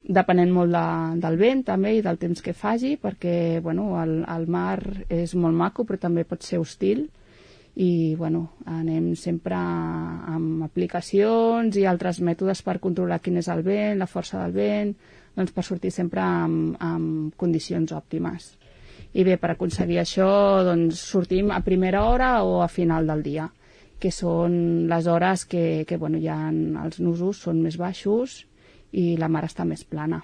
depenent molt del vent també i del temps que faci, perquè el mar és molt maco però també pot ser hostil i anem sempre amb aplicacions i altres mètodes per controlar quin és el vent, la força del vent, doncs per sortir sempre amb condicions òptimes. I bé, per aconseguir això doncs sortim a primera hora o a final del dia, que són les hores que ja els nusos són més baixos i la mar està més plana.